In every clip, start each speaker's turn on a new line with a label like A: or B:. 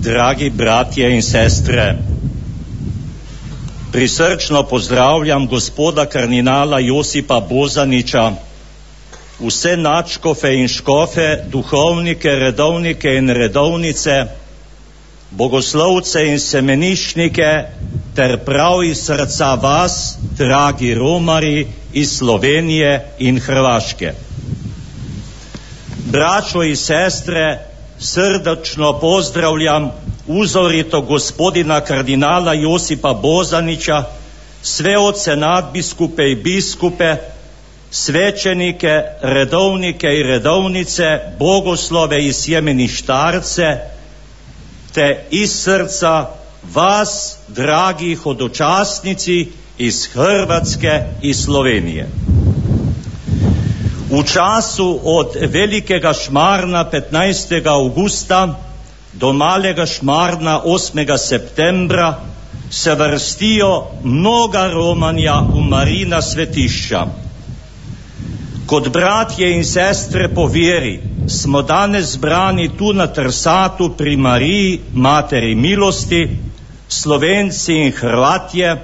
A: dragi bratje in sestre, prisrčno pozdravljam gospoda kardinala Josipa Bozaniča, vse nadškofe in škofe, duhovnike, redovnike in redovnice, bogoslovce in semenišnike ter prav iz srca vas, dragi romari iz Slovenije in Hrvaške. Braćo i sestre, srdačno pozdravljam uzorito gospodina kardinala Josipa Bozanića, sve oce nadbiskupe i biskupe, svećenike, redovnike i redovnice, bogoslove i sjemeništarce, te iz srca vas, dragi hodočasnici iz Hrvatske i Slovenije. U času od Velikega šmarna 15. augusta do Malega šmarna 8. septembra se vrstijo mnoga romanja u Marijina svetišća. Kod bratje in sestre po vjeri smo danes zbrani tu na Trsatu pri Mariji, Materi milosti, Slovenci in Hrvatje,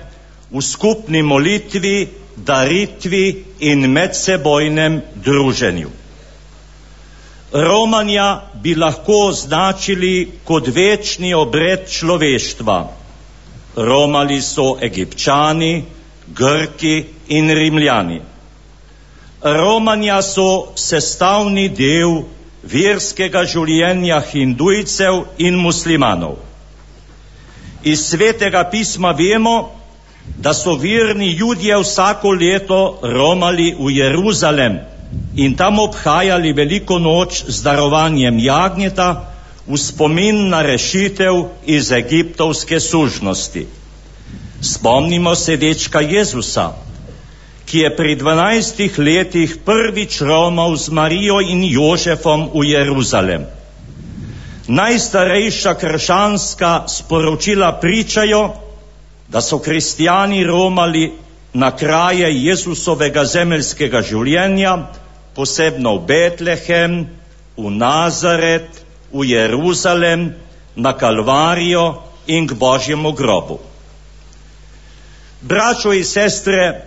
A: v skupni molitvi, daritvi in medsebojnem druženju. Romanja bi lahko označili kot večni obred človeštva. Romali so Egipčani, Grki in Rimljani. Romanja so sestavni del verskega življenja hindujcev in muslimanov. Iz svetega pisma vemo, da so verni Judje vsako leto romali v Jeruzalem in tam obhajali veliko noč z darovanjem jagnjeta v spomin na rešitev iz egiptovske sužnosti. Spomnimo se dečka Jezusa, ki je pri 12 letih prvič romal z Marijo in Jožefom v Jeruzalem. Najstarejša krščanska sporočila pričajo, da so kristijani romali na kraje Jezusovega zemeljskega življenja, posebno v Betlehem, v Nazaret, v Jeruzalem, na Kalvarijo in k Božjemu grobu. Braćo i sestre,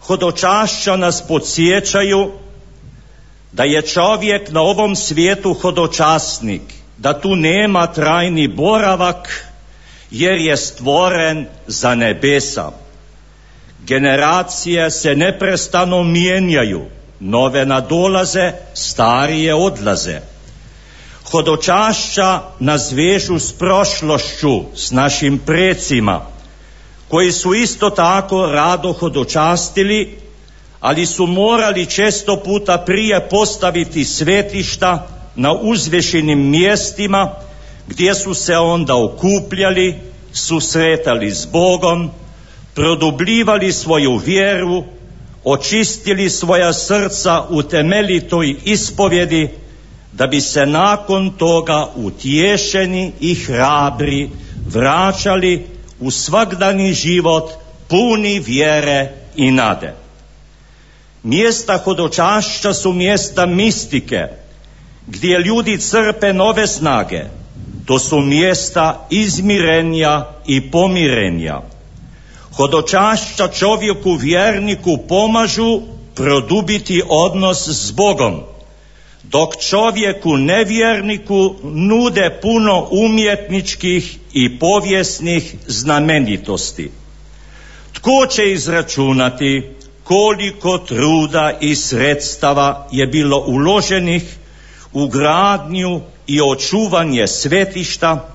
A: hodočašća nas podsjećaju da je čovjek na ovom svijetu hodočasnik, da tu nema trajni boravak, jer je stvoren za nebesa. Generacije se neprestano mijenjaju, nove nadolaze, starije odlaze. Hodočašća nas vežu s prošlošću, s našim precima, koji su isto tako rado hodočastili, ali su morali često puta prije postaviti svetišta na uzvišenim mjestima, gdje su se onda okupljali, susretali s Bogom, produbljivali svoju vjeru, očistili svoja srca u temeljitoj ispovjedi, da bi se nakon toga utješeni i hrabri vraćali u svakdani život puni vjere i nade. Mjesta hodočašća su mjesta mistike, gdje ljudi crpe nove snage. To su mjesta izmirenja i pomirenja. Hodočašća čovjeku vjerniku pomažu produbiti odnos s Bogom, dok čovjeku nevjerniku nude puno umjetničkih i povijesnih znamenitosti. Tko će izračunati koliko truda i sredstava je bilo uloženih u gradnju i očuvanje svetišta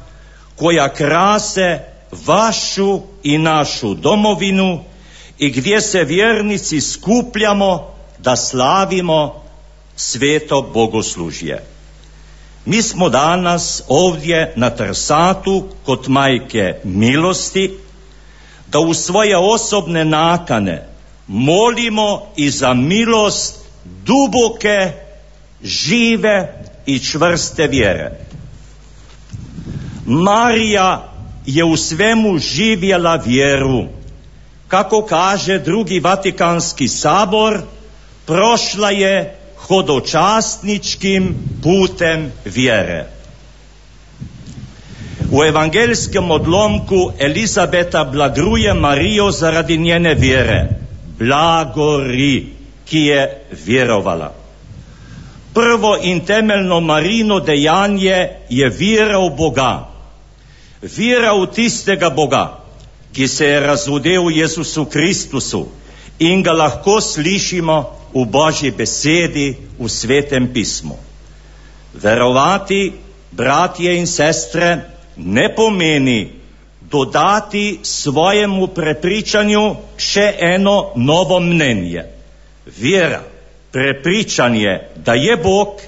A: koja krase vašu i našu domovinu i gdje se vjernici skupljamo da slavimo sveto bogoslužje. Mi smo danas ovdje na Trsatu kod Majke milosti da u svoje osobne nakane molimo i za milost duboke, žive i čvrste vjere. Marija je u svemu živjela vjeru. Kako kaže Drugi Vatikanski sabor, prošla je hodočasničkim putem vjere. U U evangeljskom odlomku Elizabeta blagruje Marijo zaradi njene vjere. Blagori, ki je vjerovala. Prvo in temeljno Marino dejanje je vjera v Boga. Vjera v tistega Boga, ki se je razodel v Jezusu Kristusu in ga lahko slišimo v Božji besedi, v Svetem pismu. Verovati, bratje in sestre, ne pomeni dodati svojemu prepričanju še eno novo mnenje. Vjera, prepričanje, da je Bog,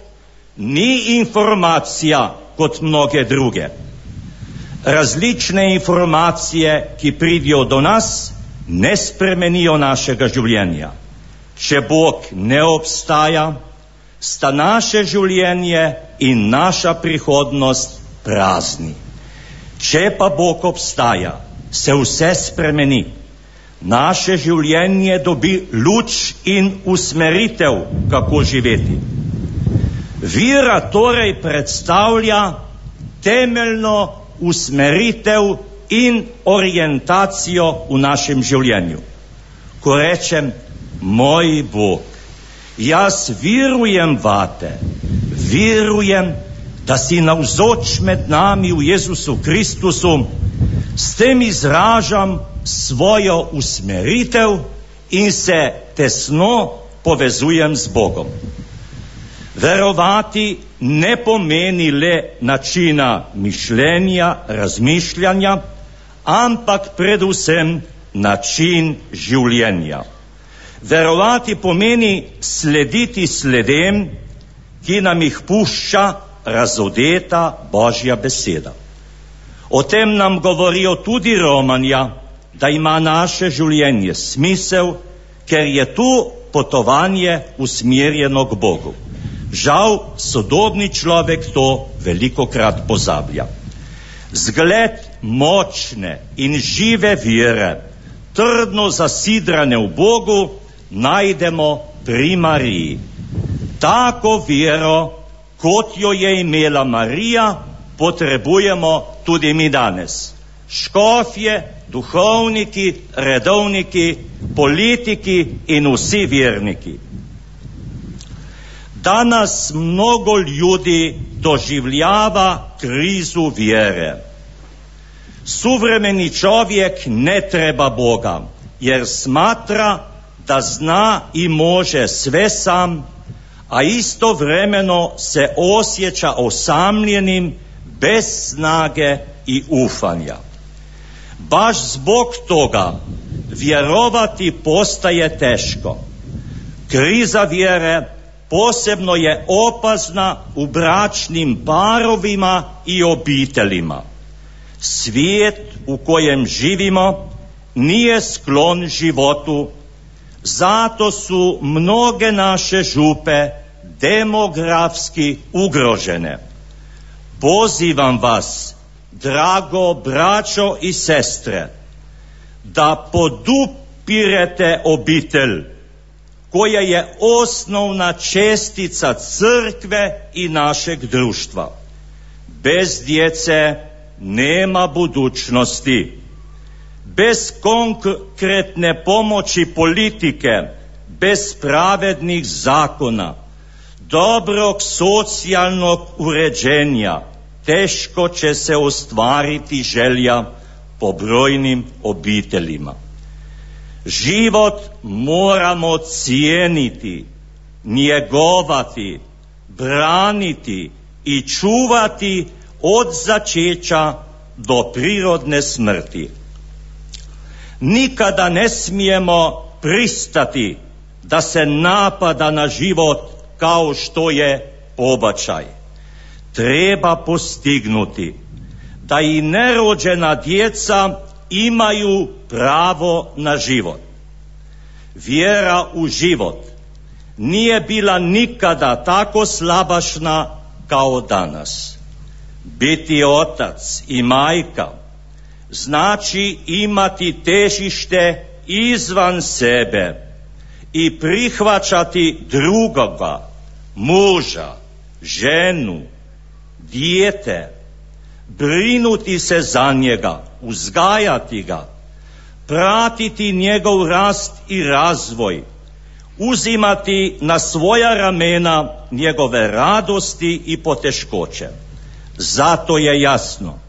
A: ni informacija kot mnoge druge. Različne informacije, ki pridijo do nas, ne spremenijo našega življenja. Če Bog ne obstaja, sta naše življenje in naša prihodnost prazni. Če pa Bog obstaja, se vse spremeni. Naše življenje dobi luč in usmeritev, kako živeti. Vera torej predstavlja temeljno usmeritev in orientacijo v našem življenju. Ko rečem, moj Bog, jaz verujem vate, verujem, da si navzoč med nami v Jezusu Kristusu, s tem izražam svojo usmeritev in se tesno povezujem z Bogom. Verovati ne pomeni le načina mišljenja, razmišljanja, ampak predvsem način življenja. Verovati pomeni slediti sledem, ki nam jih pušča razodeta Božja beseda. O tem nam govorijo tudi Romanja, da ima naše življenje smisel, ker je tu potovanje usmerjeno k Bogu. Žal, sodobni človek to velikokrat pozablja. Zgled močne in žive vere, trdno zasidrane v Bogu, najdemo pri Mariji. Tako vero, kot jo je imela Marija, potrebujemo tudi mi danes. Škofje, duhovniki, redovniki, politiki in vsi verniki. Danas mnogo ljudi doživljava krizu vjere. Suvremeni čovjek ne treba Boga, jer smatra da zna i može sve sam, a istovremeno se osjeća osamljenim, bez snage i ufanja. Baš zbog toga vjerovati postaje teško. Kriza vjere posebno je opasna u bračnim parovima i obiteljima. Svijet u kojem živimo nije sklon životu, zato su mnoge naše župe demografski ugrožene. Pozivam vas, drago braćo i sestre, da podupirete obitelj, koja je osnovna čestica crkve i našeg društva. Bez djece nema budućnosti. Bez konkretne pomoći politike, bez pravednih zakona, dobrog socijalnog uređenja, teško će se ostvariti želja po brojnim obiteljima. Život moramo cijeniti, njegovati, braniti i čuvati od začeća do prirodne smrti. Nikada ne smijemo pristati da se napada na život kao što je pobačaj. Treba postignuti da i nerođena djeca imaju pravo na život. Vjera u život nije bila nikada tako slabašna kao danas. Biti otac i majka znači imati težište izvan sebe i prihvaćati drugoga, muža, ženu, dijete, brinuti se za njega, uzgajati ga, pratiti njegov rast i razvoj, uzimati na svoja ramena njegove radosti i poteškoće. Zato je jasno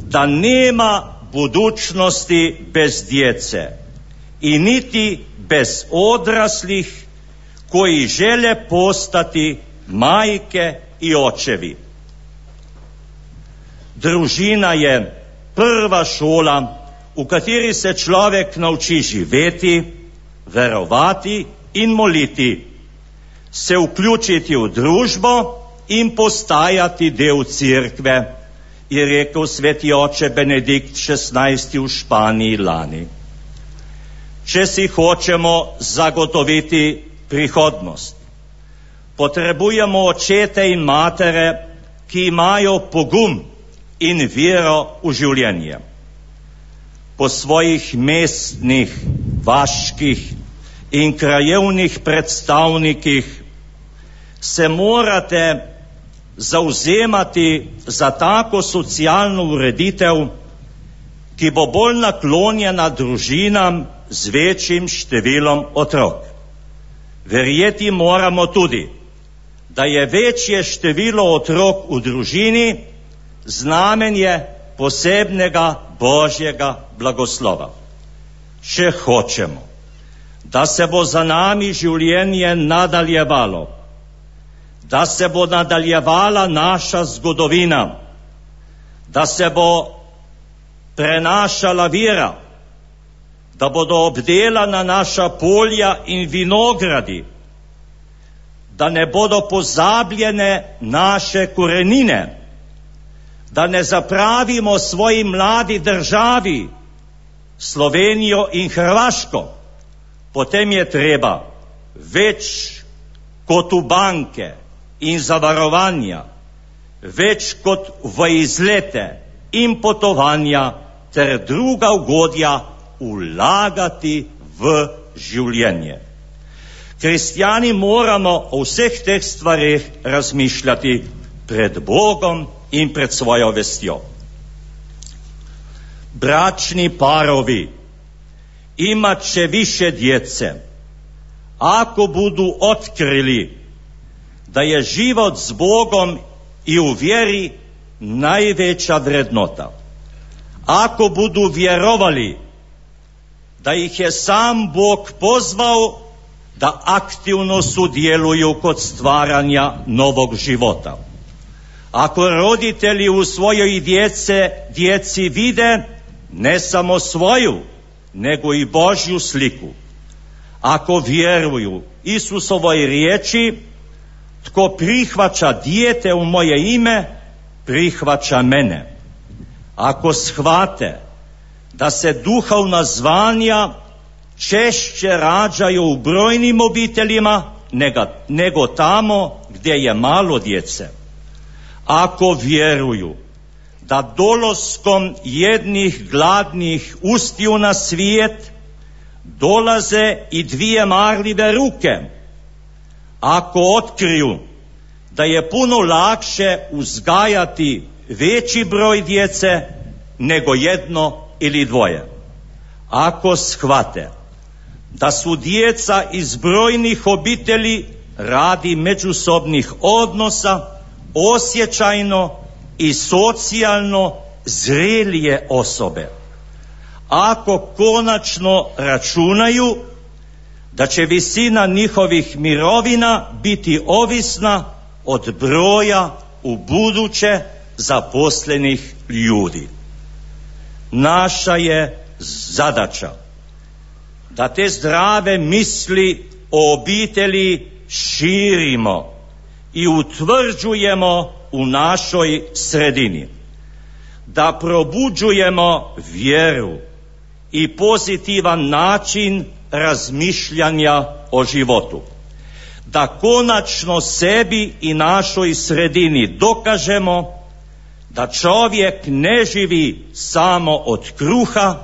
A: da nema budućnosti bez djece i niti bez odraslih koji žele postati majke i očevi. Družina je prva šola v kateri se človek nauči živeti, verovati in moliti, se vključiti v družbo in postajati del cerkve, je rekel sveti oče Benedikt XVI v Španiji lani. Če si hočemo zagotoviti prihodnost, potrebujemo očete in matere, ki imajo pogum in vero v življenje. Po svojih mestnih, vaških in krajevnih predstavnikih se morate zauzemati za tako socialno ureditev, ki bo bolj naklonjena družinam z večjim številom otrok. Verjeti moramo tudi, da je večje število otrok v družini znamenje posebnega Božjega blagoslova. Če hočemo, da se bo za nami življenje nadaljevalo, da se bo nadaljevala naša zgodovina, da se bo prenašala vera, da bodo obdelana naša polja in vinogradi, da ne bodo pozabljene naše korenine, da ne zapravimo svoji mladi državi, Slovenijo in Hrvaško, potem je treba več kot v banke in zavarovanja, več kot v izlete in potovanja ter druga ugodja vlagati v življenje. Kristjani moramo o vseh teh stvareh razmišljati pred Bogom in pred svojo vestjo. Bračni parovi imat će više djece ako budu otkrili da je život s Bogom i u vjeri najveća vrednota. Ako budu vjerovali da ih je sam Bog pozvao da aktivno sudjeluju kod stvaranja novog života. Ako roditelji u svojoj djeci vide ne samo svoju, nego i Božju sliku. Ako vjeruju Isusovoj riječi, tko prihvaća dijete u moje ime, prihvaća mene. Ako shvate da se duhovna zvanja češće rađaju u brojnim obiteljima nego tamo gdje je malo djece. Ako vjeruju da dolaskom jednih gladnih ustiju na svijet dolaze i dvije marljive ruke, ako otkriju da je puno lakše uzgajati veći broj djece nego jedno ili dvoje, ako shvate da su djeca iz brojnih obitelji radi međusobnih odnosa osjećajno i socijalno zrelije osobe, ako konačno računaju da će visina njihovih mirovina biti ovisna od broja u buduće zaposlenih ljudi. Naša je zadaća da te zdrave misli o obitelji širimo i utvrđujemo u našoj sredini, da probuđujemo vjeru i pozitivan način razmišljanja o životu, da konačno sebi i našoj sredini dokažemo da čovjek ne živi samo od kruha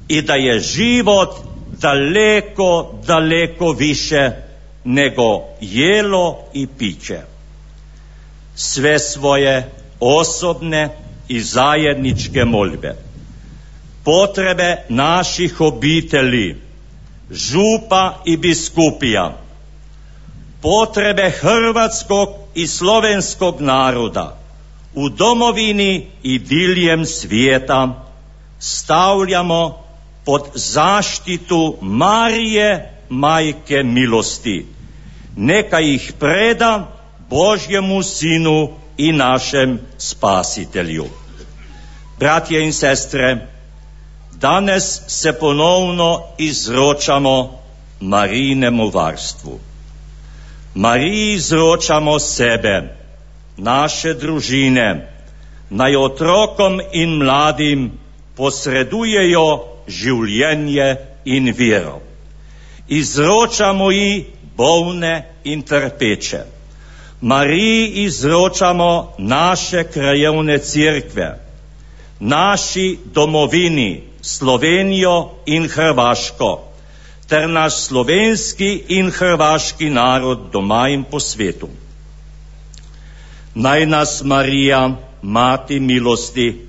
A: i da je život daleko, daleko više nego jelo i piće. Sve svoje osobne i zajedničke molbe. Potrebe naših obitelji, župa i biskupija, potrebe hrvatskog i slovenskog naroda u domovini i diljem svijeta stavljamo pod zaštitu Marije, Majke milosti. Neka ih preda Božjemu Sinu i našem Spasitelju. Bratje in sestre, danes se ponovno izročamo Marijinemu varstvu. Mariji izročamo sebe, naše družine, naj otrokom in mladim posredujejo življenje in vero. Izročamo ji bolne in trpeče. Mariji izročamo naše krajevne cerkve, naši domovini, Slovenijo in Hrvaško, ter naš slovenski in hrvaški narod doma in po svetu. Naj nas Marija, Mati milosti,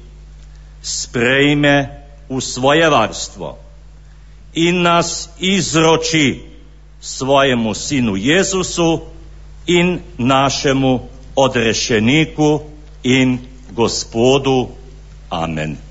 A: sprejme v svoje varstvo in nas izroči svojemu Sinu Jezusu in našemu odrešeniku in Gospodu. Amen.